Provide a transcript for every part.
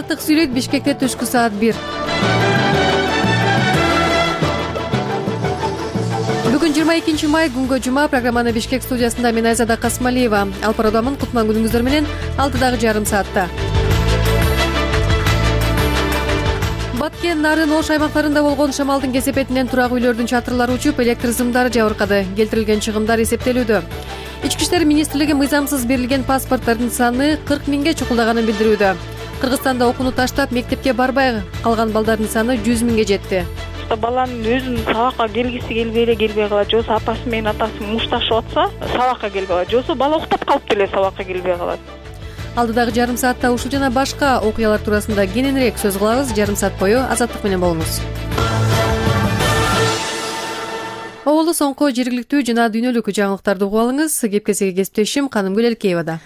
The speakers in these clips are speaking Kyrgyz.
Азаттык сүйлөйт. Бишкекте түшкү саат 1. Бүгүн 22 май, күнгө жума. Программаны Бишкек студиясында мен Айзада Касмалиева алып баруудамын. Кутман күнүңүздөр менен 6 жарым саатта. Баткен, Нарын, Ош аймактарында болгон шамалдын кесепетинен турак үйлөрдүн чатырлары учуп, электр сымдары жабыркады. Келтирилген чыгымдар эсептелүүдө. Ички иштер министрлиги мыйзамсыз берилген паспорттардын саны 40 миңге чукулдаганын билдирүүдө. Кыргызстанда окууну таштап, мектепке барбай калган балдардын саны 100 миңге жетти. Баланын өзүнүн сабакка келгиси келбей калат, жосу апасы менен атасы мушташып атса, сабакка келбей калат, жосу бала уктап калып деле сабакка келбей калат. Алдыдагы жарым саатта ушул жана башка окуялар туурасында кененирээк сөз кылабыз. Жарым саат бою Азаттык менен болуңуз. Оболу соңку жергиликтүү жана дүйнөлүк жаңылыктарды угуп алыңыз. Кепкесиге кесиптешим Канымгүл Элкеевада.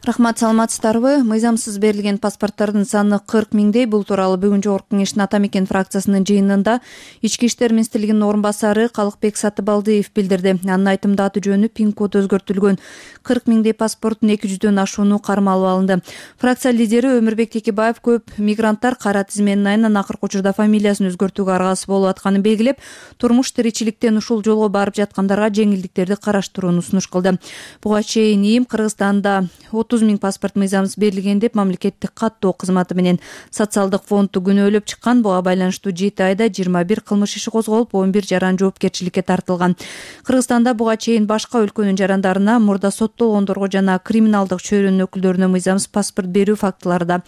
Рахмат, саламатсыздарбы? Мыйзамсыз берилген паспорттардын саны 40 миңдей. Бул тууралуу бүгүн Жогорку Кеңештин Ата Мекен фракциясынын жыйынында Ички иштер министрлигинин орун басары Калыкбек Сатыбалдиев билдирди. Анын айтымында аты жөнү пин код өзгөртүлгөн 40 миңдей паспорттун 200дөн ашууну кармалып алынды. Фракция лидери Өмүрбек Текебаев көп мигранттар кара тизменин айынан акыркы учурда фамилиясын өзгөртүүгө аргасыз болуп атканын белгилеп, турмуш тиричиликтен ушул жолго барып жаткандарга жеңилдиктерди караштырууну сунуш кылды. Буга чейин ИИМ Кыргызстанда 30 миң паспорт мыйзамсыз берилген деп мамлекеттик каттоо кызматы менен социалдык фондду күнөөлөп чыккан. Буга байланыштуу 7 айда 21 кылмыш иши козголуп, 11 жаран жоопкерчиликке тартылган. Кыргызстанда буга чейин башка өлкөнүн жарандарына, мурда соттолгондорго жана криминалдык чөйрөнүн өкүлдөрүнө мыйзамсыз паспорт берүү фактылары да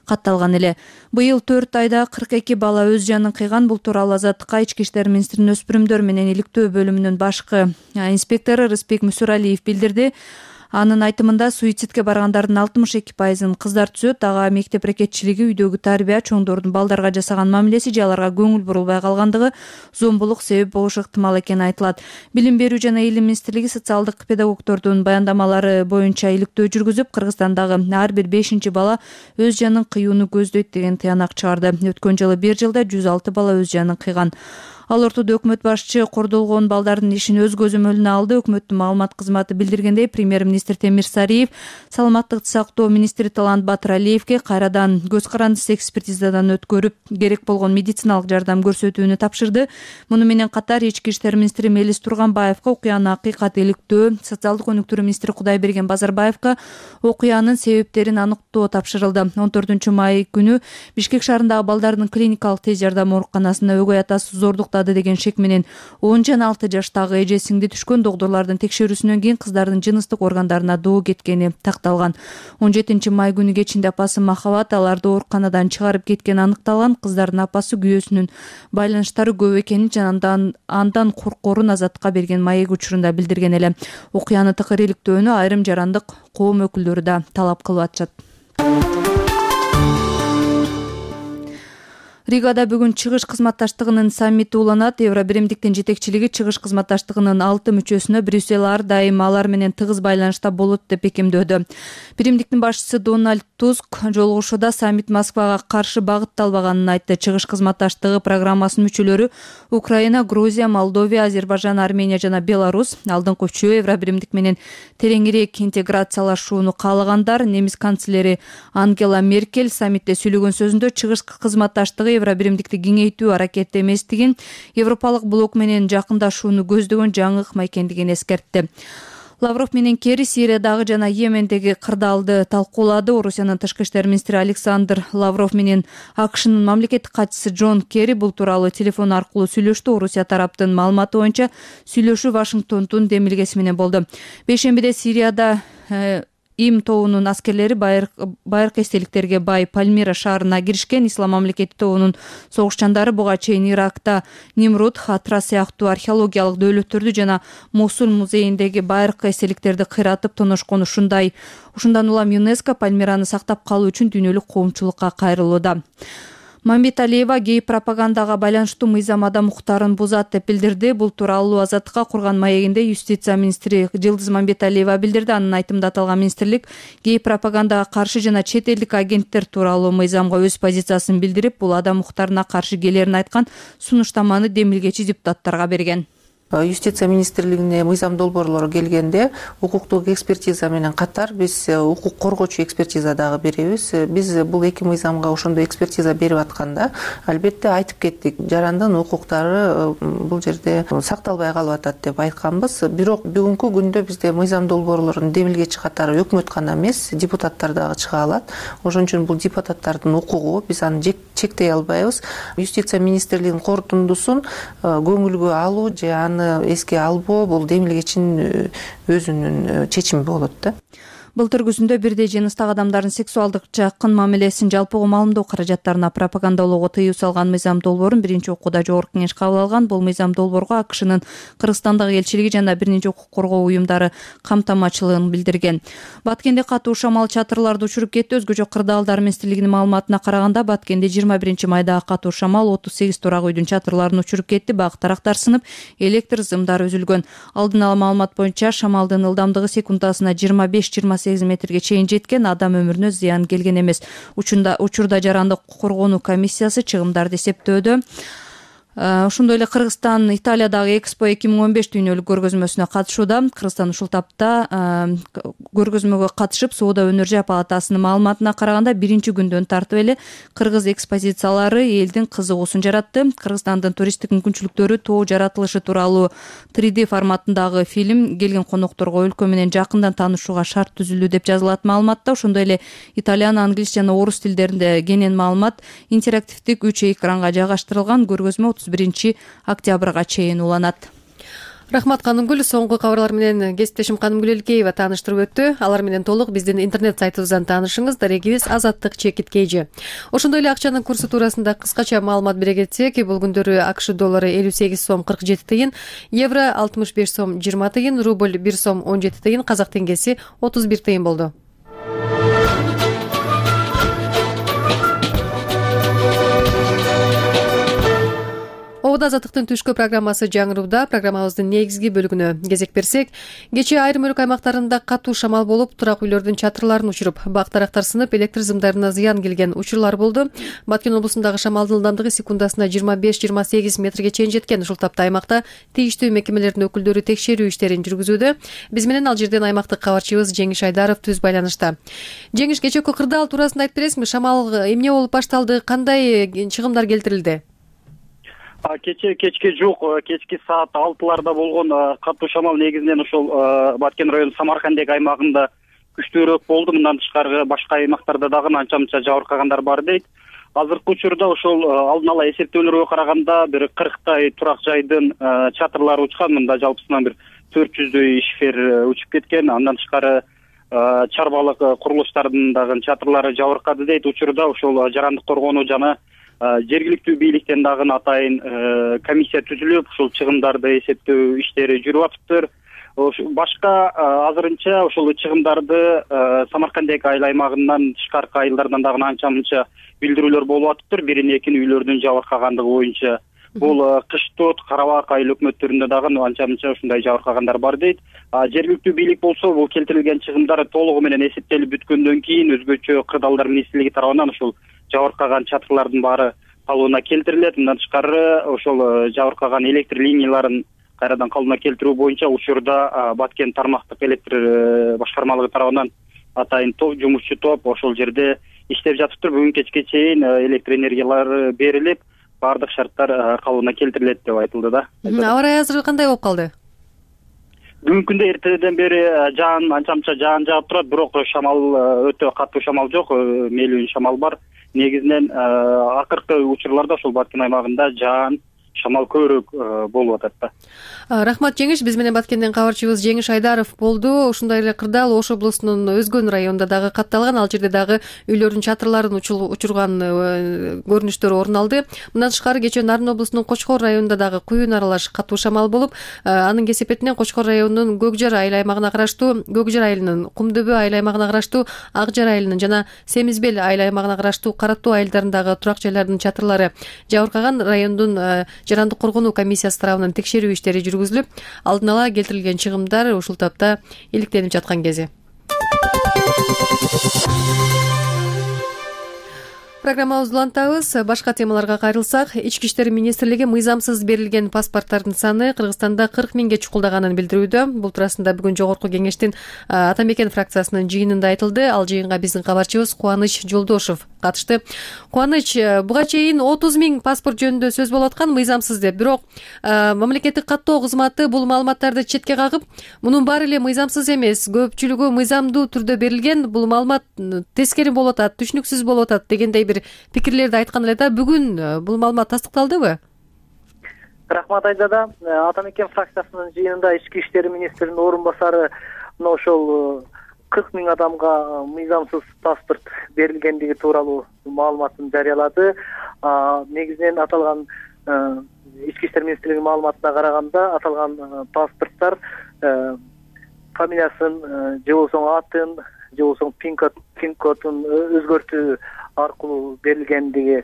катталган эле. Быйыл 4 айда 42 бала өз жанын кыйган. Бул тууралуу Азаттыкка Ички иштер министринин өспүрүмдөр менен иликтөө бөлүмүнүн башкы инспектору Рыспек Мүсүралиев билдирди. Анын айтымында суицидке баргандардын 62%-ын кыздар түзөт. Ага мектеп ракетчилиги, үйдөгү тарбия, чоңдордун балдарга жасаган мамилеси же аларга көңүл бурулбай калгандыгы зомбулук себеп болушу ыктымал экени айтылат. Билим берүү жана илим министрлиги социалдык педагогдордун баяндамалары боюнча иликтөө жүргүзүп, Кыргызстандагы ар бир 5-чи бала өз жанын кыюуну көздөйт деген тыянак чыгарды. Өткөн жылы бир жылда 106 бала өз жанын кыйган. Ал ортодо өкмөт башчы кордолгон балдардын ишин өз көзөмөлүнө алды. Өкмөттүн маалымат кызматы билдиргендей, премьер-министр Темир Сариев саламаттыкты сактоо министри Талант Батыралиевге кайрадан көз карандысыз экспертизадан өткөрүп, керек болгон медициналык жардам көрсөтүүнү тапшырды. Муну менен катар Ички иштер министри Мелис Турганбаевка окуянын акыйкат иликтөө, социалдык өнүктүрүү министри Кудайберген Базарбаевка окуянын себептерин аныктоо тапшырылды. 14 май күнү Бишкек шаарындагы балдардын клиникалык тез жардам ооруканасына өгөй атасы зордуктады деген шек менен 10 жана 6 жаштагы эже сиңди түшкөн. Доктурлардын текшерүүсүнөн кийин кыздардын жыныстык органдарына доо кеткени такталган. 17 май күнү кечинде апасы Махабат аларды ооруканадан чыгарып кеткени аныкталган. Кыздардын апасы күйөөсүнүн байланыштары көп экенин жана андан коркорун Азаттыкка берген маек учурунда билдирген эле. Окуяны тыкыр иликтөөнү айрым жарандык коом өкүлдөрү да талап кылып атышат. Ригада бүгүн Чыгыш кызматташтыгынын саммити уланат. Евробиримдиктин жетекчилиги Чыгыш кызматташтыгынын 6 мүчөсүнө Брюссель ар дайым алар менен тыгыз байланышта болот деп бекемдөөдө. Биримдиктин башчысы Дональд Туск жолугушууда саммит Москвага каршы багытталбаганын айтты. Чыгыш кызматташтыгы программасынын мүчөлөрү Украина, Грузия, Молдовия, Азербайжан, Армения жана Беларусь. Алдыңкы үчөө Евробиримдик менен тереңирээк интеграциялашууну каалагандар. Немис канцлери Ангела Меркель саммитте сүйлөгөн сөзүндө Чыгыш кызматташтыгы Евробиримдикти кеңейтүү аракети эместигин, Европалык блок менен жакындашууну көздөгөн жаңы ыкма экендигин эскертти. Лавров менен Керри Сириядагы жана Йемендеги кырдаалды талкуулады. Орусиянын тышкы иштер министри Александр Лавров менен АКШнын мамлекеттик катчысы Джон Керри бул тууралуу телефон аркылуу сүйлөштү. Орусия тараптын маалыматы боюнча сүйлөшүү Вашингтондун демилгеси менен болду. Бейшембиде Сирияда ИИМ тобунун аскерлери байыркы эстеликтерге бай Пальмира шаарына киришкен. Ислам мамлекети тобунун согушчандары буга чейин Иракта Нимрут, Хатра сыяктуу археологиялык дөөлөттөрдү жана Мосул музейиндеги байыркы эстеликтерди кыйратып тоношкон. Ушундан улам ЮНЕСКО Пальмираны сактап калуу үчүн дүйнөлүк коомчулукка кайрылууда. Мамбет Алиева гей пропагандага байланыштуу мыйзам адам укуктарын бузат деп билдирди. Бул тууралуу Азаттыкка курган маегинде юстиция министри Жылдыз Мамбет Алиева билдирди. Анын айтымында аталган министрлик гей пропагандага каршы жана чет элдик агенттер тууралуу мыйзамга өз позициясын билдирип, бул адам укуктарына каршы келерин айткан сунуштаманы демилгечи депутаттарга берген. Юстиция министрлигине мыйзам долбоорлору келгенде укуктук экспертиза менен катар биз укук коргоочу экспертиза дагы беребиз. Биз бул эки мыйзамга ошондой экспертиза берип атканда албетте айтып кеттик, жарандын укуктары бул жерде сакталбай калып атат деп айтканбыз. Бирок бүгүнкү күндө бизде мыйзам долбоорлорун демилгечи катары өкмөт гана эмес, депутаттар дагы чыга алат. Ошон үчүн бул депутаттардын укугу, биз аны чектей албайбыз. Юстиция министрлигинин корутундусун көңүлгө алуу же аны эске албоо бул демилгечинин өзүнүн чечими болот да. Былтыр күзүндө бирдей жыныстагы адамдардын сексуалдык жакын мамилесин жалпыга маалымдоо каражаттарына пропагандалоого тыюу салган мыйзам долбоорун биринчи окууда жогорку кеңеш кабыл алган. Бул мыйзам долбоорго АКШнын Кыргызстандагы элчилиги жана бир нече укук коргоо уюмдары камтамачылыгын билдирген. Баткенде катуу шамал чатырларды учуруп кетти. Өзгөчө Кырдаалдар министрлигинин маалыматына караганда Баткенде 21-майда катуу шамал 38 турак үйдүн чатырларын учуруп кетти. Бак тарактар сынып, электр зымдары үзүлгөн. Алдын ала маалымат боюнча шамалдын ылдамдыгы секундасына 25-28 метрге чейин жеткен, адам өмүрүнө зыян келген эмес. Учурда жарандык коргонуу комиссиясы чыгымдарды эсептөөдө. Ошондой эле Кыргызстан Италиядагы Экспо 2015 дүйнөлүк көргөзмөсүнө катышууда. Кыргызстан ушул тапта көргөзмөгө катышып, Соода өнөр жай палатасынын маалыматына караганда биринчи күндөн тартып эле кыргыз экспозициялары элдин кызыгуусун жаратты. Кыргызстандын туристтик мүмкүнчүлүктөрү тоо жаратылышы тууралуу 3D форматындагы фильм келген конокторго өлкө менен жакындан таанышууга шарт түзүлдү деп жазылат маалыматта. Ошондой эле итальян, англис жана орус тилдеринде кенен маалымат интерактивдик 3 экранга жайгаштырылган. Көргөзмө 31-октябрга чейин уланат. Рахмат Канымгүл. Соңку кабарлар менен кесиптешим Канымгүл Элкеева тааныштырып өттү. Алар менен толук биздин интернет сайтыбыздан таанышыңыз. Дарегибиз azаттыk.kg. Ошондой эле акчанын курсу туурасында кыскача маалымат бере кетсек, бул күндөрү АКШ доллары 58 сом 47 тыйын, евро 65 сом 20 тыйын, рубль 1 сом 17 тыйын, казак теңгеси 31 тыйын болду. Обода азаттыктын түшкү программасы жаңырууда. Программабыздын негизги бөлүгүнө кезек берсек, кечээ айрым өлкө аймактарында катуу шамал болуп, турак үйлөрдүн чатырларын учуруп, бак тарактар сынып, электр зымдарына зыян келген учурлар болду. Баткен облусундагы шамалдын ылдамдыгы секундасына 25-28 метрге чейин жеткен. Ушул тапта аймакта тийиштүү мекемелердин өкүлдөрү текшерүү иштерин жүргүзүүдө. Биз менен ал жерден аймактык кабарчыбыз Жеңиш Айдаров түз байланышта. Жеңиш, кечээкү кырдаал туурасында айтып бересиңби? Шамал эмне болуп башталды? Кандай чыгымдар келтирилди? Кечке жук, кечки саат 6-ларда болгон катуу шамал негизинен ошол Баткен районунун Самаркандек аймагында күчтүүрөөк болду. Мындан тышкары башка аймактарда дагы анча-мынча жабыркагандар бар дейт. Азыркы учурда ошол алдын ала эсептөөлөргө караганда бир 40 турак жайдын чатырлары учкан. Мында жалпысынан бир 400дөй ишфер учуп кеткен. Андан тышкары чарбалык курулуштардын дагы чатырлары жабыркады дейт. Учурда ошол жарандык коргонуу жана жергиликтүү бийликтен дагы атайын комиссия түзүлүп, ушул чыгымдарды эсептөө иштери жүрүп атыптыр. Башка азырынча ошол чыгымдарды Самаркандек айыл аймагынан тышкаркы айылдардан дагы анча-мынча билдирүүлөр болуп атыптыр. Бирин-экинин үйлөрдүн жабыркагандыгы боюнча. Бул Кыштот, Карабак айыл өкмөттөрүндө дагы анча-мынча ушундай жабыркагандар бар дейт. Жергиликтүү бийлик болсо бул келтирилген чыгымдар толугу менен эсептелип бүткөндөн кийин өзгөчө Кырдаалдар министрлиги тарабынан ушул жабыркаган чатырлардын баары калыбына келтирилет. Мындан тышкары ошол жабыркаган электр линияларын кайрадан калыбына келтирүү боюнча учурда Баткен тармактык электр башкармалыгы тарабынан атайын жумушчу топ ошол жерде иштеп жатыптыр. Бүгүн кечке чейин электр энергиялары берилип, баардык шарттар калыбына келтирилет деп айтылды да. Аба ырайы азыр кандай болуп калды? Бүгүнкү күндө эртеден бери жаан анча-мынча жаан жаап турат, бирок шамал өтө катуу шамал жок, мээлүүн шамал бар. Негизинен акыркы учурларда ошол Баткен аймагында жаан шамал көбүрөөк болуп атат да. Рахмат Жеңиш, биз менен Баткенден кабарчыбыз Жеңиш Айдаров болду. Ошондой эле Кырдаал Ош облусунун Өзгөн районунда дагы катталган, ал жерде дагы үйлөрдүн чатырларын учурган көрүнүштөр орун алды. Мындан тышкары кечээ Нарын облусунун Кочкор районунда дагы куюн аралаш катуу шамал болуп, анын кесепетинен Кочкор районунун Көкжар айыл аймагына караштуу, Көкжар айылынын, Кумдөбө айыл аймагына караштуу, Ак Жар айылынын жана Семизбел айыл аймагына караштуу Кара Тоо айылдарындагы турак жайлардын чатырлары жабыркаган. Райондун жарандык коргонуу комиссиясы тарабынан текшерүү иштери жүргүзүлүп, алдын ала келтирилген чыгымдар ушул тапта иликтенип жаткан кези. Программабызды улантабыз. Башка темаларга кайрылсак, Ички иштер министрлиги мыйзамсыз берилген паспорттардын саны Кыргызстанда 40 миңге чукулдаганын билдирүүдө. Бул туурасында бүгүн Жогорку Кеңештин Ата Мекен фракциясынын жыйынында айтылды. Ал жыйынга биздин кабарчыбыз Кубаныч Жолдошов катышты. Кубаныч, буга чейин 30 миң паспорт жөнүндө сөз болуп аткан мыйзамсыз деп. Бирок мамлекеттик каттоо кызматы бул маалыматтарды четке кагып, мунун баары эле мыйзамсыз эмес, көпчүлүгү мыйзамдуу түрдө берилген, бул маалымат тескери болуп атат, түшүнүксүз болуп атат дегендей пикирлерди айткан эле да. Бүгүн бул маалымат тастыкталдыбы? Рахмат Айзада. Ата Мекен фракциясынын жыйынында Ички иштер министринин орун басары ошол 40 миң адамга мыйзамсыз паспорт берилгендиги тууралуу маалыматын жарыялады. Негизинен аталган Ички иштер министрлигинин маалыматына караганда, аталган паспорттор фамилиясын же болбосо атын, же болбосо пин кодун өзгөртүү аркылуу берилгендиги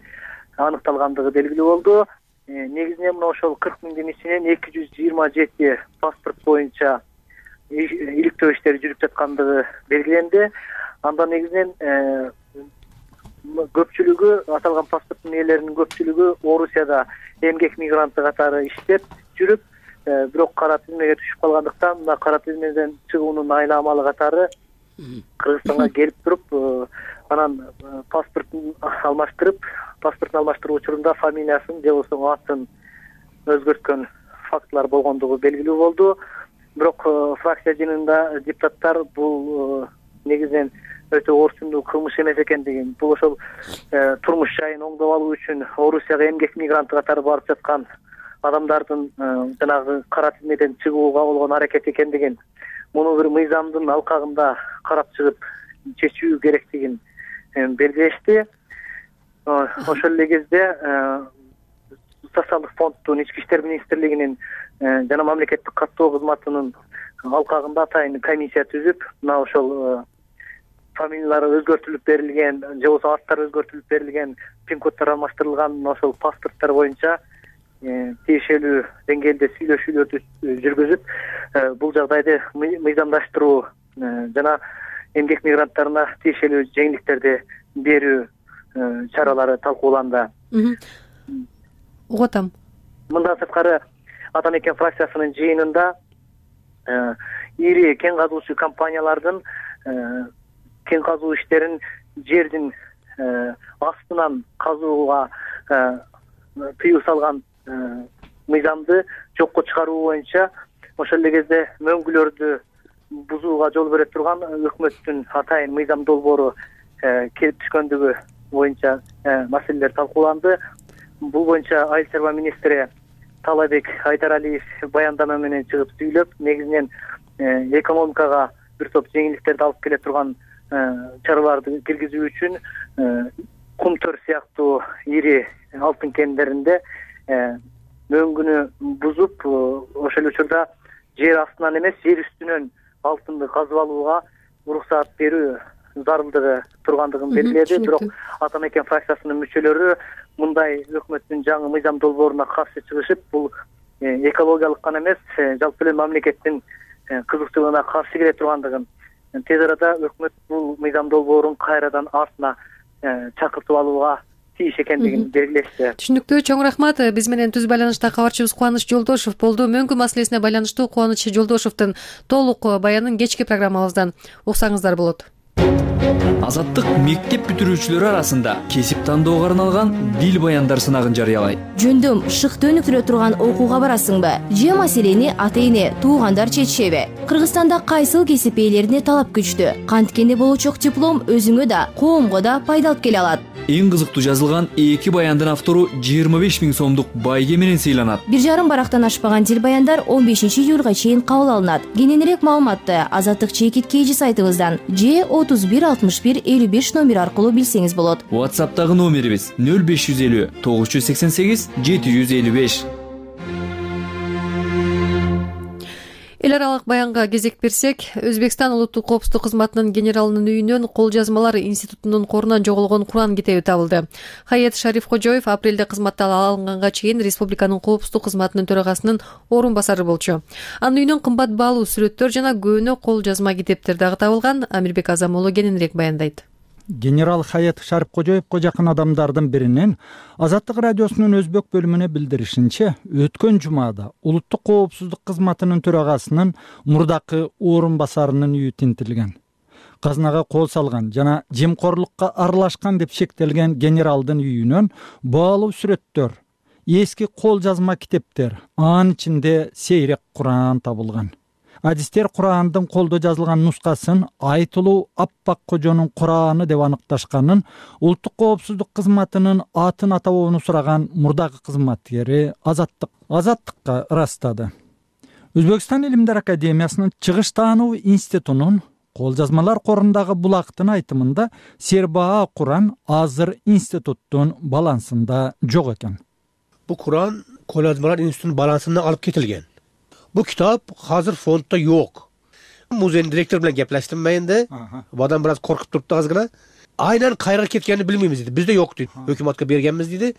аныкталгандыгы белгилүү болду. Негизинен мына ошол 40 миңдин ичинен 227 паспорт боюнча иликтөө иштери жүрүп жаткандыгы белгиленди. Андан негизинен көпчүлүгү, аталган паспорттун ээлеринин көпчүлүгү Орусияда эмгек мигранты катары иштеп жүрүп, бирок кара тизмеге түшүп калгандыктан, мына кара тизмеден чыгуунун айламалы катары Кыргызстанга келип туруп, анан паспортун алмаштыруу учурунда фамилиясын же болбосо атын өзгөрткөн фактылар болгондугу белгилүү болду. Бирок фракция жыйынында депутаттар бул негизинен өтө орчундуу кылмыш эмес экендигин, бул ошол турмуш жайын оңдоп алуу үчүн Орусияга эмгек мигранты катары барып жаткан адамдардын жанагы кара тизмеден чыгууга болгон аракет экендигин, муну бир мыйзамдын алкагында карап чыгып чечүү керектигин белгилешти. Ошол эле кезде социалдык фонддун, Ички иштер министрлигинин жана мамлекеттик каттоо кызматынын алкагында атайын комиссия түзүп, мына ошол фамилиялары өзгөртүлүп берилген, же болбосо аттары өзгөртүлүп берилген, пин коддор алмаштырылган ошол паспорттор боюнча тиешелүү деңгээлде сүйлөшүүлөрдү жүргүзүп, бул жагдайды мыйзамдаштыруу жана эмгек мигранттарына тиешелүү жеңилдиктерди берүү чаралары талкууланды. Угуп атам. Мындан сырткары Ата Мекен фракциясынын жыйынында ири кен казуучу компаниялардын кен казуу иштерин жердин астынан казууга тыюу салган мыйзамды жокко чыгаруу боюнча ошол эле кезде мөңгүлөрдү бузууга жол бере турган өкмөттүн атайын мыйзам долбоору келип түшкөндүгү боюнча маселелер талкууланды. Бул боюнча Айыл чарба министри Талабек Айдаралиев баяндама менен чыгып сүйлөп, негизинен экономикага бир топ жеңилдиктерди алып келе турган чараларды киргизүү үчүн Кумтөр сыяктуу ири алтын кендеринде мөңгүнү бузуп, ошол учурда жер астынан эмес, жер үстүнөн алтынды казып алууга уруксаат берүү зарылдыгы тургандыгын белгиледи. Бирок Ата Мекен фракциясынын мүчөлөрү мындай өкмөттүн жаңы мыйзам долбооруна каршы чыгышып, бул экологиялык гана эмес, жалпы эле мамлекеттин кызыкчылыгына каршы келе тургандыгын, тез арада өкмөт бул мыйзам долбоорун кайрадан артына чакыртып алууга тийиш экендигин белгилешти. Түшүнүктүү, чоң рахмат. Биз менен түз байланышта кабарчыбыз Кубаныч Жолдошов болду. Мөңгү маселесине байланыштуу Кубаныч Жолдошовдун толук баянын кечки программабыздан уксаңыздар болот. Азаттык мектеп бүтүрүүчүлөрү арасында кесип тандоого арналган дил баяндар сынагын жарыялайт. Жөндөм шыкты өнүктүрө турган окууга барасыңбы? Же маселени ата-эне, туугандар чечишеби? Кыргызстанда кайсыл кесип ээлерине талап күчтүү? Канткенде болучок диплом өзүңө да, коомго да пайда алып келе алат. Эң кызыктуу жазылган 2 баяндын автору 25 миң сомдук байге менен сыйланат. 1,5 барактан ашпаган дил баяндар 15 июлга чейин кабыл алынат. Кененирээк маалыматты Азаттык чекит KG сайтыбыздан же 31 61 55 номер аркылуу билсеңиз болот. WhatsApp'тагы номерибиз 0550 988 755. Эл аралык баянга кезек берсек, Өзбекстан улуттук коопсуздук кызматынын генералынын үйүнөн Кол жазмалар институтунун корунан жоголгон Куран китеби табылды. Хаят Шарифкожоев апрелде кызматтан алынганга чейин республиканын коопсуздук кызматынын төрагасынын орун басары болчу. Анын үйүнөн кымбат баалуу сүрөттөр жана көөнө кол жазма китептер дагы табылган. Амирбек Азамолу кененирээк баяндайт. генерал Хаят Шарипкожоевго жакын адамдардын биринин Азаттык радиосунун өзбек бөлүмүнө билдиришинче, өткөн жумада улуттук коопсуздук кызматынын төрагасынын мурдакы орун басарынын үйү тинтилген. Казынага кол салган жана жемкорлукка аралашкан деп шектелген генералдын үйүнөн баалуу сүрөттөр, эски кол жазма китептер, анын ичинде сейрек Куран табылган. Адистер Курандын колдо жазылган нускасын айтылуу Аппак Кожонун Кураны деп аныкташканын улуттук коопсуздук кызматынын атын атабоону сураган мурдагы кызматкери Азаттыкка ырастады. Өзбекстан Илимдер академиясынын чыгыш таануу институтунун кол жазмалар корундагы булактын айтымында Сербаа Куран азыр институттун балансында жок экен. Бу Куран кол жазмалар институтунун балансынан алып кетилген. Бу китап азыр фонддо жок. Музейдин директору менен кеплештим мен да. Бадан бир аз коркуп турупту азгына. Айнан кайерге кеткенин билбейбиз дейт. Бизде жок дейт. Өкмөткө бергенбиз дейт.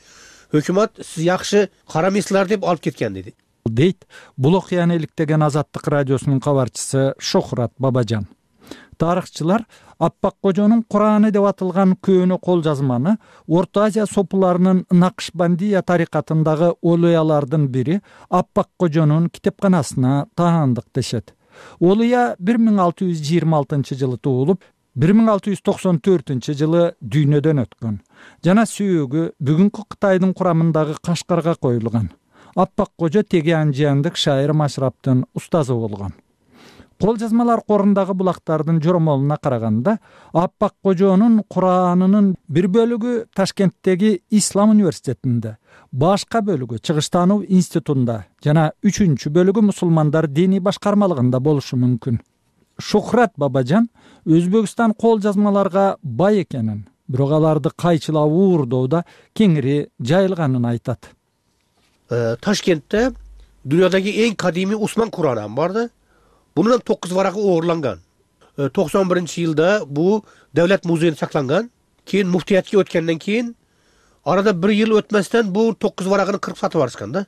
Өкмөт сиз жакшы карамайсыздар деп алып кеткен дейт. Дейт бул окуяны иликтеген Азаттык радиосунун кабарчысы Шохрат Бабажан. Тарыхчылар Аппак Кожонун Кураны деп атылган көөнө кол жазманы Орто Азия сопуларынын Накшбандия тарикатындагы олуялардын бири Аппак Кожонун китепканасына таандык дешет. Олуя 1626-жылы туулуп, 1694-жылы дүйнөдөн өткөн. Жана сүйөгү бүгүнкү Кытайдын курамындагы Кашкарга коюлган. Аппак Кожо теге анжияндык шайыр Машраптын устазы болгон. Кол жазмалар корундагы булактардын жоромолуна караганда, Аппак Кожонун Куранынын бир бөлүгү Ташкенттеги Ислам университетинде, башка бөлүгү Чыгыштануу институтунда жана 3-чү бөлүгү мусулмандар диний башкармалыгында болушу мүмкүн. Шохрат Бабажан Өзбекстан кол жазмаларга бай экенин, бирок аларды кайчылап уурдоодо кеңири жайылганын айтат. Ташкентте дүйнөдөгү эң кадимий Усман Кураны барды. Bunun 9 varagı uğurlangan. 91-жылда bu devlet muzeyinde saklangан. Keyin muftiyatga o'tgandan keyin arada bir yıl ötmesden bu 9 varagını kırıp satıp barışkan da.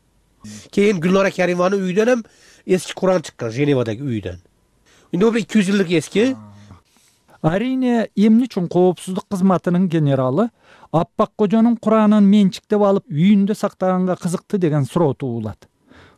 Keyin Gülnara Kerimovanın uyudan hem eski Kur'an çıkkan Jenevadagi uyudan. Endi bu 200 yıllık eski. Арийне эмне үчүн коопсуздук кызматынын генералы Аппак Кожонун Куранын менчиктеп алып үйүндө сактаганга кызыкты деген суроо туулат.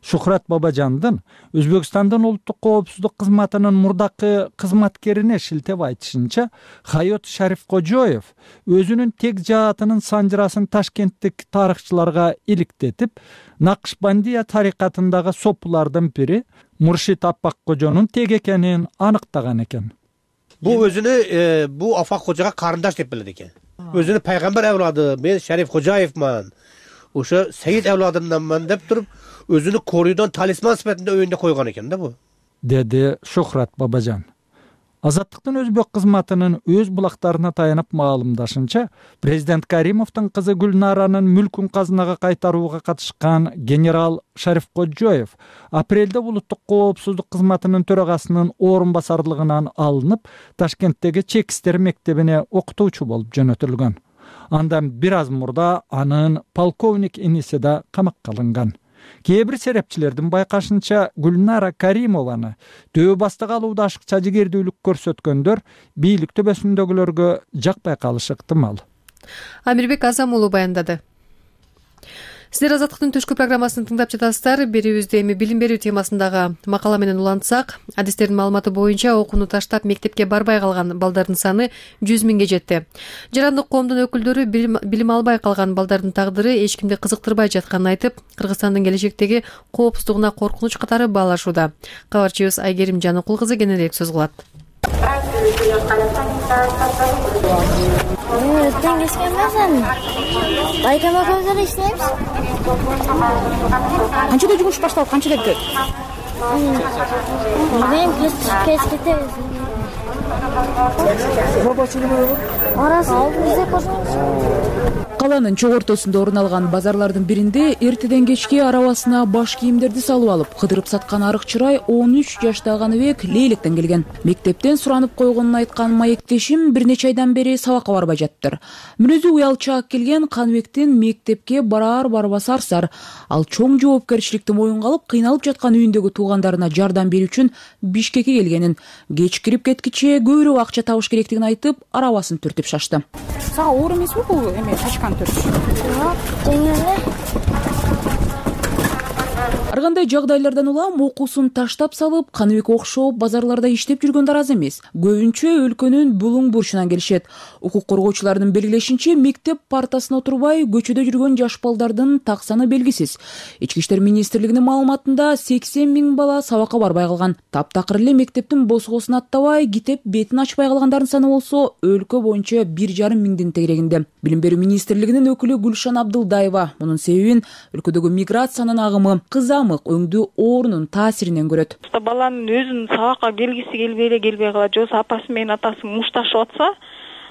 Шухрат Бабажандын Өзбекстандын улуттук коопсуздук кызматынын мурдакы кызматкерине шилтеп айтышынча, Хаят Шарипкожоев өзүнүн тек жаатынын санжырасын ташкенттик тарыхчыларга иликтетип, Накшбандия тарикатындагы сопулардын бири Муршид Аппак Кожонун тек экенин аныктаган экен. Bu özünü bu Afak Hoca'ya karındaş deyip bildi ki. Özünü peygamber evladı, ben Şerif Hocayevman. Oşa Seyit evladından ben deyip durup özünü koruyudan talisman sıfatında önünde koygan eken de bu. Dedi Şuhrat Babacan. Азаттыктын өзбек кызматынын өз булактарына таянып маалымдашынча, президент Каримовдун кызы Гүлнаранын мүлкүн казынага кайтарууга катышкан генерал Шарипкожоев апрелде улуттук коопсуздук кызматынын төрагасынын орун басарлыгынан алынып, Ташкенттеги чек иштер мектебине окутуучу болуп жөнөтүлгөн. Андан бир аз мурда анын полковник иниси да камакка алынган. Кээ бир серепчилердин байкашынча Гүлнара Каримованы төбө бастыга алууда ашыкча жигердүүлүк көрсөткөндөр бийлик төбөсүндөгүлөргө жакпай калышы ыктымал. Амирбек Азам уулу баяндады. Сиздер Азаттыктын түшкү программасын тыңдап жатасыздар. Берүүбүздө эми билим берүү темасындагы макала менен улантсак, адистердин маалыматы боюнча окууну таштап мектепке барбай калган балдардын саны 100 миңге жетти. Жарандык коомдун өкүлдөрү билим албай калган балдардын тагдыры эч кимди кызыктырбай жатканын айтып, Кыргызстандын келечектеги коопсуздугуна коркунуч катары баалашууда. Кабарчыбыз Айгерим Жаныкул кызы кененирээк сөз кылат. Baytama koyuları işleyemiz. Kançada cumuş başladı, kançada gidiyor? Benim keskete. Orası bize koşmuş. Каланын чок ортосунда орун алган базарлардын биринде эртеден кечке арабасына баш кийимдерди салып алып кыдырып саткан арык чырай 13 жаштагы Каныбек Лейлектен келген. Мектептен суранып койгонун айткан маектешим бир нече айдан бери сабакка барбай жатыптыр. Мүнөзү уялчаак келген Каныбектин мектепке барбасы арсар. Ал чоң жоопкерчиликти моюнга алып, кыйналып жаткан үйүндөгү туугандарына жардам берүү үчүн Бишкекке келгенин, кеч кирип кеткиче көбүрөөк акча табыш керектигин айтып, арабасын түртүп шашты. Сага оор эмеспи бул эме тачканы түртүш? Жеңил эле. Ар кандай жагдайлардан улам окуусун таштап салып, Каныбек окшоп базарларда иштеп жүргөндөр аз эмес. Көбүнчө өлкөнүн булуң бурчунан келишет. Укук коргоочулардын белгилешинче, мектеп партасына отурбай көчөдө жүргөн жаш балдардын так саны белгисиз. Ички иштер министрлигинин маалыматында 80 000 бала сабакка барбай калган. Таптакыр эле мектептин босгосун аттабай, китеп бетин ачпай калгандардын саны болсо, өлкө боюнча 1,5 миңдин тегерегинде. Билим берүү министрлигинин өкүлү Гүлшан Абдылдаева мунун себебин өлкөдөгү миграциянын агымы, кызамык өңдүү оорунун таасиринен көрөт. Баланын өзүнүн сабакка келгиси келбей калат, жосу апасы менен атасы мушташып атса,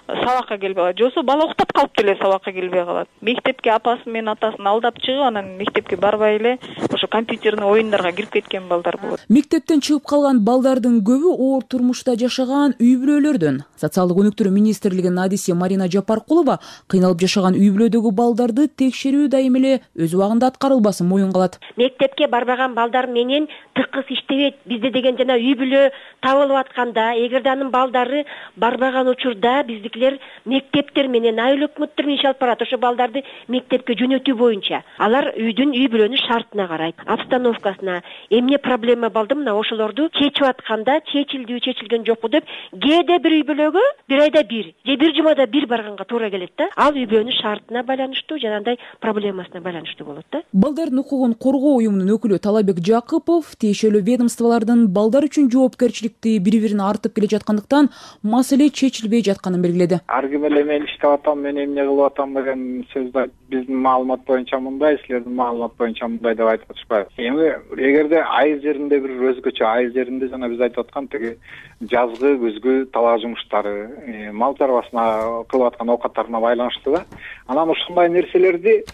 сабакка келбей калат, жосу бала уктап калып деле сабакка келбей калат. Мектепке апасы менен атасын алдап чыгып, анан мектепке барбай эле ошо компьютерный оюндарга кирип кеткен балдар болот. Мектептен чыгып калган балдардын көбү оор турмушта жашаган үй бүлөлөрдөн. Социалдык өнүктүрүү министрлигинин адиси Марина Жапаркулова кыйналып жашаган үй бүлөдөгү балдарды текшерүү дайым эле өз убагында аткарылбасын моюнга алат. Мектепке барбаган балдар менен тыкыз иштебейт. Бизде деген жана үй бүлө табылып атканда, эгерде анын балдары барбаган учурда биздикилер мектептер менен айыл өкмөттөр менен иш алып барат. Ошо балдарды мектепке жөнөтүү боюнча алар үй бүлөнүн шартына карайт, обстановкасына. Эмне проблема балды мына ошолорду чечип атканда чечилдиби, чечилген жокпу деп кээде бир үй бүлөгө бир айда бир же бир жумада бир барганга туура келет да. Ал үй бүлөнүн шартына байланыштуу, жанагындай проблемасына байланыштуу болот да. Балдардын укугун коргоо уюмунун өкүлү Талабек Жакыпов тиешелүү ведомстволордун балдар үчүн жоопкерчиликти бири-бирине артып келе жаткандыктан маселе чечилбей жатканын белгиледи. Ар ким эле мен иштеп атам, мен эмне кылып атам деген сөздү биздин маалымат боюнча мындай, силердин маалымат боюнча мындай деп айтып атышпайбы. Эми эгерде айыл жеринде бир өзгөчө, айыл жеринде жана биз айтып аткан тиги жазгы, күзгү талаа жумуштары, мал чарбасына кылып аткан оокаттарына байланыштуу да. Анан ушундай нерселерди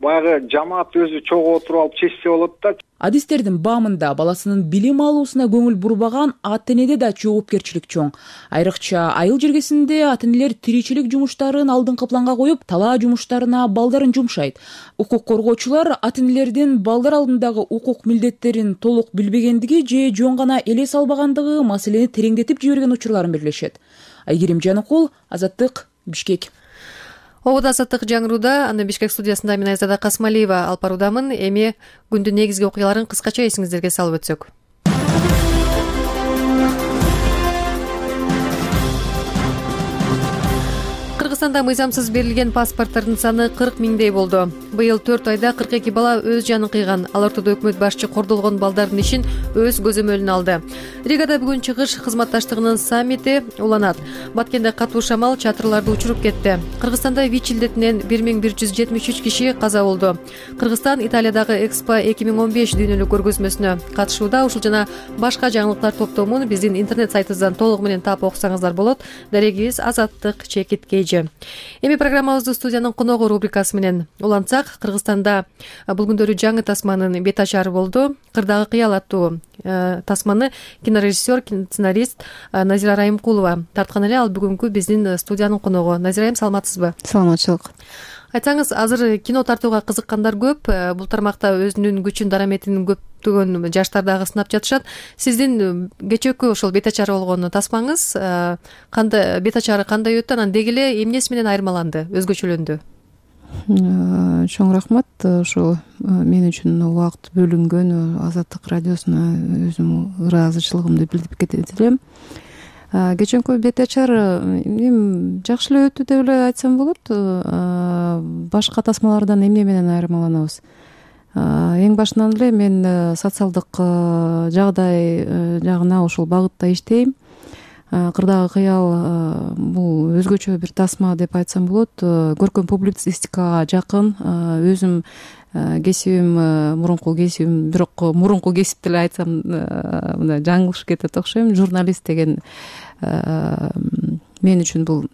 баягы жамаат өзү чогуу отуруп алып чечсе болот да. Адистердин баамында баласынын билим алуусуна көңүл бурбаган ата-энеде да жоопкерчилик чоң. Айрыкча айыл жергесинде ата-энелер тиричилик жумуштарын алдыңкы планга коюп, талаа жумуштарына балдарын жумшайт. Укук коргоочулар ата-энелердин балдар алдындагы укук милдеттерин толук билбегендиги же жөн гана элес албагандыгы маселени тереңдетип жиберген учурларын белгилешет. Айгерим Жаныкул, Азаттык, Бишкек. Обод азаттык жаңырууда, аны Бишкек студиясында мен Айзада Касмалиева алып баруудамын. Эми күндүн негизги окуяларын кыскача эсиңиздерге салып өтсөк. Кыргызстанда мыйзамсыз берилген паспорттардын саны 40 000дей болду. Быйыл 4 айда 42 бала өз жанын кыйган. Ал ортодо өкмөт башчы кордолгон балдардын ишин өз көзөмөлүнө алды. Ригада бүгүн чыгыш кызматташтыгынын саммити уланат. Баткенде катуу шамал чатырларды учуруп кетти. Кыргызстанда ВИЧ илдетинен 1173 киши каза болду. Кыргызстан Италиядагы Экспо 2015 дүйнөлүк көргөзмөсүнө катышууда. Ушул жана башка жаңылыктар топтомун биздин интернет сайтыбыздан толугу менен таап окусаңыздар болот. Дарегибиз Азаттык Чекит Кейжи. Эми программабызды студиянын коногу рубрикасы менен улантсак, Кыргызстанда бул күндөрү жаңы тасманын бет ачары болду. Кырдагы кыял аттуу тасманы кинорежиссер, сценарист Назира Райымкулова тарткан эле. Ал бүгүнкү биздин студиянын коногу. Назира айым, саламатсызбы? Саламатчылык. Айтсаңыз, азыр кино тартууга кызыккандар көп. Бул тармакта өзүнүн күчүн, дараметин көптөгөн жаштар дагы сынап жатышат. Сиздин кечээкү ошол бет ачары болгон тасмаңыз кандай, бет ачары кандай өттү, анан деги эле эмнеси менен айырмаланды, өзгөчөлөндү? Чоң рахмат. Ошо мен үчүн убакыт бөлүнгөн Азаттык радиосуна өзүм ыраазычылыгымды билдирип кетет элем. Кечээкү бет ачар эми жакшы эле өттү деп эле айтсам болот. Башка тасмалардан эмне менен айырмаланабыз? Эң башынан эле мен социалдык жагдай жагына ошол багытта иштейм. Кырдагы кыял бул өзгөчө бир тасма деп айтсам болот. Көркөм публицистикага жакын. Өзүм кесибим мурунку кесибим, бирок мурунку кесип деле айтсам мындай жаңылышып кетет окшойм. Журналист деген мен үчүн бул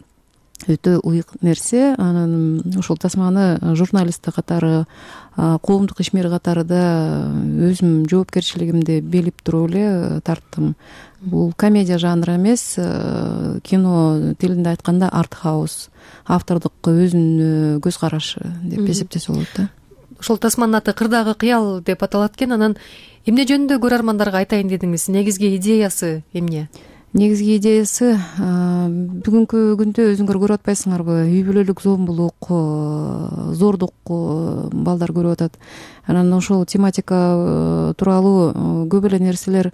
өтө ыйык нерсе. Анан ошол тасманы журналист катары, коомдук ишмер катары да өзүм жоопкерчилигимди билип туруп эле тарттым. Бул комедия жанры эмес, кино тилинде айтканда артхаус, автордук өзүнүн көз карашы деп эсептесе болот да. Ошол тасманын аты «Кырдагы кыял» деп аталат экен. Анан эмне жөнүндө көрөрмандарга айтайын дедиңиз? Негизги идеясы эмне? Негизги идеясы бүгүнкү күндө өзүңөр көрүп атпайсыңарбы, үй бүлөлүк зомбулук, зордук балдар көрүп атат. Анан ошол тематика тууралуу көп эле нерселер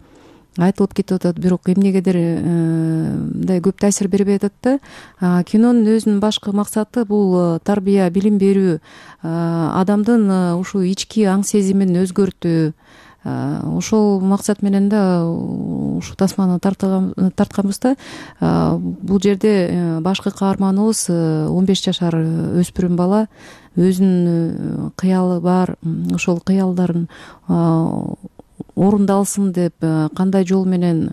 айтылып кетип атат, бирок эмнегедир мындай көп таасир бербей атат да. Кинонун өзүнүн башкы максаты бул тарбия, билим берүү, адамдын ушу ички аң сезимин өзгөртүү. Ошол максат менен да ушу тасманы тартканбыз да. Бул жерде башкы каарманыбыз 15 жашар өспүрүм бала, өзүнүн кыялы бар, ошол кыялдарын орундалсын деп кандай жол менен,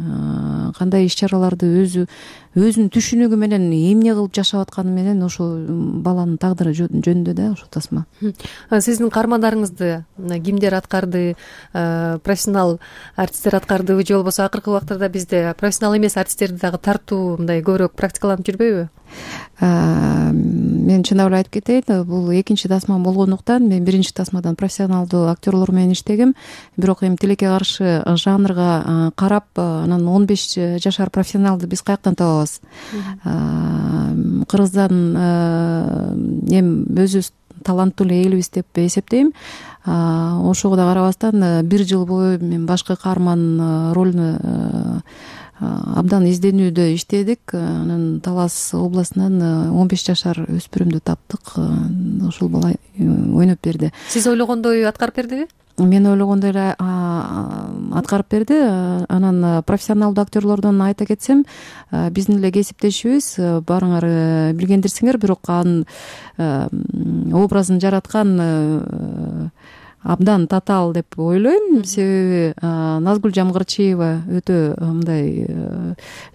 кандай иш чараларды өзүнүн түшүнүгү менен эмне кылып жашап атканы менен ошол баланын тагдыры жөнүндө да ошол тасма. Сиздин каармандарыңызды кимдер аткарды? Профессионал артисттер аткардыбы же болбосо акыркы убактарда бизде профессионал эмес артисттерди дагы тартуу мындай көбүрөөк практикаланып жүрбөйбү? Мен чындап эле айтып кетейин, бул экинчи тасмам болгондуктан мен биринчи тасмадан профессионалдуу актерлор менен иштегем. Бирок эми тилекке каршы жанрга карап, анан 15 жашар профессионалды биз каяктан табабыз? Кыргыздан эми өзүбүз таланттуу эле элбиз деп эсептейм. Ошого да карабастан бир жыл бою мен башкы каарман ролуну абдан изденүүдө иштедик. Анан Талас областынан 15 жашар өспүрүмдү таптык. Ошол бала ойноп берди. Сиз ойлогондой аткарып бердиби? Мен ойлогондой эле аткарып берди. Анан профессионалдуу актерлордон айта кетсем, биздин эле кесиптешибиз, баарыңар билгендирсиңер, бирок анын образын жараткан абдан татаал деп ойлойм. Себеби Назгүл Жамгырчиева өтө мындай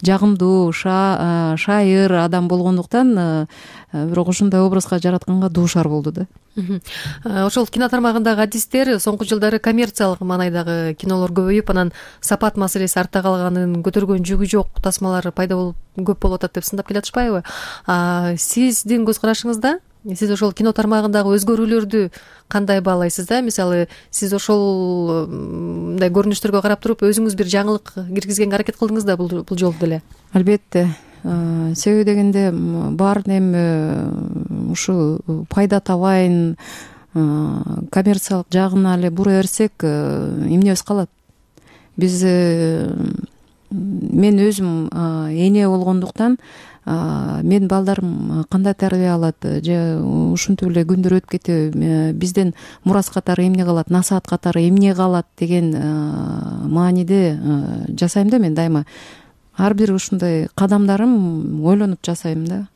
жагымдуу, шайыр адам болгондуктан бирок ошондой образга жаратканга дуушар болду да. Ошол кино тармагындагы адистер соңку жылдары коммерциялык маанайдагы кинолор көбөйүп, анан сапат маселеси артта калганын, көтөргөн жүгү жок тасмалар пайда болуп көп болуп атат деп сындап келатышпайбы? Сиздин көз карашыңызда сиз ошол кино тармагындагы өзгөрүүлөрдү кандай баалайсыз да? Мисалы, сиз ошол мындай көрүнүштөргө карап туруп өзүңүз бир жаңылык киргизгенге аракет кылдыңыз да бул жолу деле? Албетте. Себеби дегенде баарын эми ушу пайда табайын, коммерциялык жагына эле бура берсек, эмнебиз калат? Биз мен өзүм эне болгондуктан мен балдарым кандай тарбия алат же ушинтип эле күндөр өтүп кетеби, бизден мурас катары эмне калат, насаат катары эмне калат деген мааниде жасайм да. Мен дайыма ар бир ушундай кадамдарым ойлонуп жасайм да.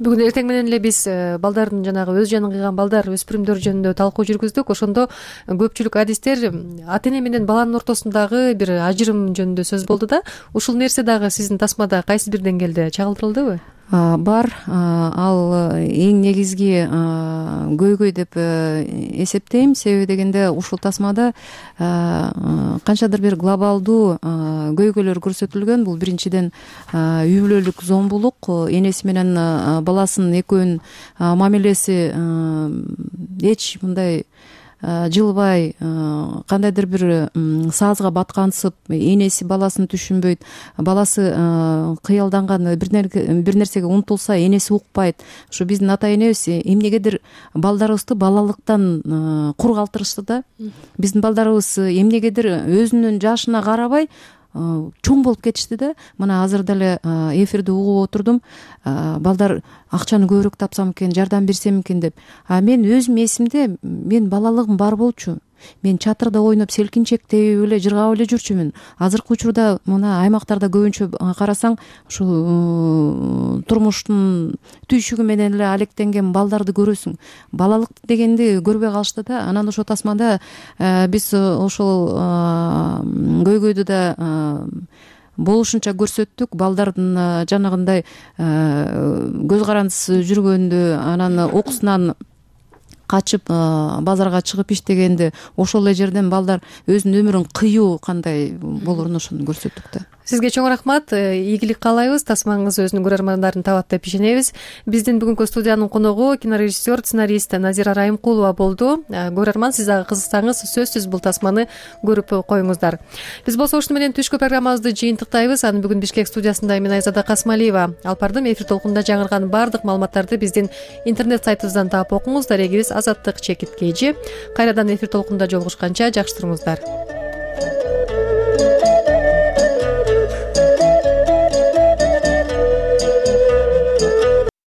Бүгүн эртең менен эле биз балдардын жанагы өз жанын кыйган балдар, өспүрүмдөр жөнүндө талкуу жүргүздүк. Ошондо көпчүлүк адистер ата эне менен баланын ортосундагы бир ажырым жөнүндө сөз болду да. Ушул нерсе дагы сиздин тасмада кайсы бир деңгээлде чагылдырылдыбы? Бар. Ал эң негизги көйгөй деп эсептейм. Себеби дегенде ушул тасмада канчадыр бир глобалдуу көйгөйлөр көрсөтүлгөн. Бул биринчиден үй бүлөлүк зомбулук, энеси менен баласынын экөөнүн мамилеси эч мындай жылбай, кандайдыр бир саазга баткансып, энеси баласын түшүнбөйт, баласы кыялданган бир нерсеге умтулса энеси укпайт. Ушу биздин ата энебиз эмнегедир балдарыбызды балалыктан кур калтырышты да. Биздин балдарыбыз эмнегедир өзүнүн жашына карабай чоң болуп кетишти да. Мына азыр деле эфирди угуп отурдум. Балдар акчаны көбүрөөк тапсам экен, жардам берсем экен деп. Мен өзүм эсимде, мен балалыгым бар болчу. Мен чатырда ойноп, селкинчек тебип эле, жыргап эле жүрчүмүн. Азыркы учурда мына аймактарда көбүнчө карасаң, ушу турмуштун түйшүгү менен эле алектенген балдарды көрөсүң. Балалык дегенди көрбөй калышты да. Анан ошол тасмада биз ошол көйгөйдү да болушунча көрсөттүк. Балдардын жанагындай көз карандысыз жүргөндү, анан окуусунан качып базарга чыгып иштегенди, ошол эле жерден балдар өзүнүн өмүрүн кыюу кандай болоруну ошону көрсөттүк да. Сизге чоң рахмат, ийгилик каалайбыз, тасмаңыз өзүнүн көрөрмандарын табат деп ишенебиз. Биздин бүгүнкү студиянын коногу кинорежиссер, сценарист Назира Райымкулова болду. Көрөрман, сиз дагы кызыксаңыз, сөзсүз бул тасманы көрүп коюңуздар. Биз болсо ушуну менен түшкү программабызды жыйынтыктайбыз. Аны бүгүн Бишкек студиясында мен Айзада Касмалиева алып бардым. Эфир толкунунда жаңырган баардык маалыматтарды биздин интернет сайтыбыздан таап окуңуз. Дарегибиз Азаттык _KG. Кайрадан эфир толкунунда жолугушканча жакшы туруңуздар.